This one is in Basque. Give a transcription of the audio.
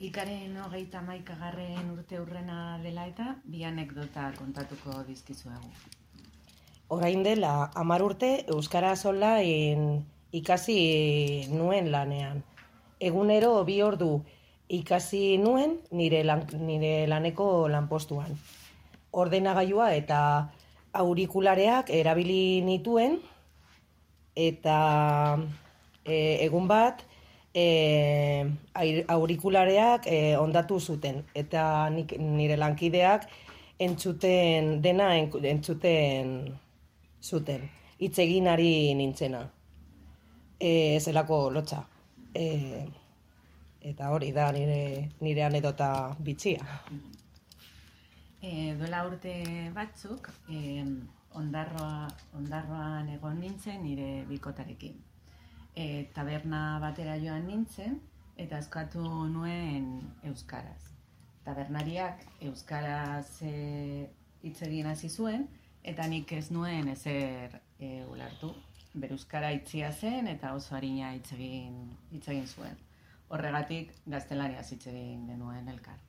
Ikaren 31. urte hurrena dela eta bi anekdota kontatuko dizkizuegu. Orain dela 10 urte euskaraz online ikasi nuen lanean. Egunero 2 ordu ikasi nuen nire laneko lanpostuan. Ordenagailua eta aurikulareak erabili nituen eta egun bat aurikulareak hondatu zuten eta nire lankideak entzuten zuten. Hitz egin ari nintzena. Zelako lotxa. Eta hori da nire anedota bitxia. Duela urte batzuk, Ondarroan egon nintzen nire bikotarekin. Taberna batera joan nintzen eta eskatu nuen euskaraz. Tabernariak euskaraz hitz egin hasi zuen eta nik ez nuen ezer ulertu. Bere euskara itzia zen eta oso arina hitz egin zuen. Horregatik gaztelaniaz hitz egin genuen elkar.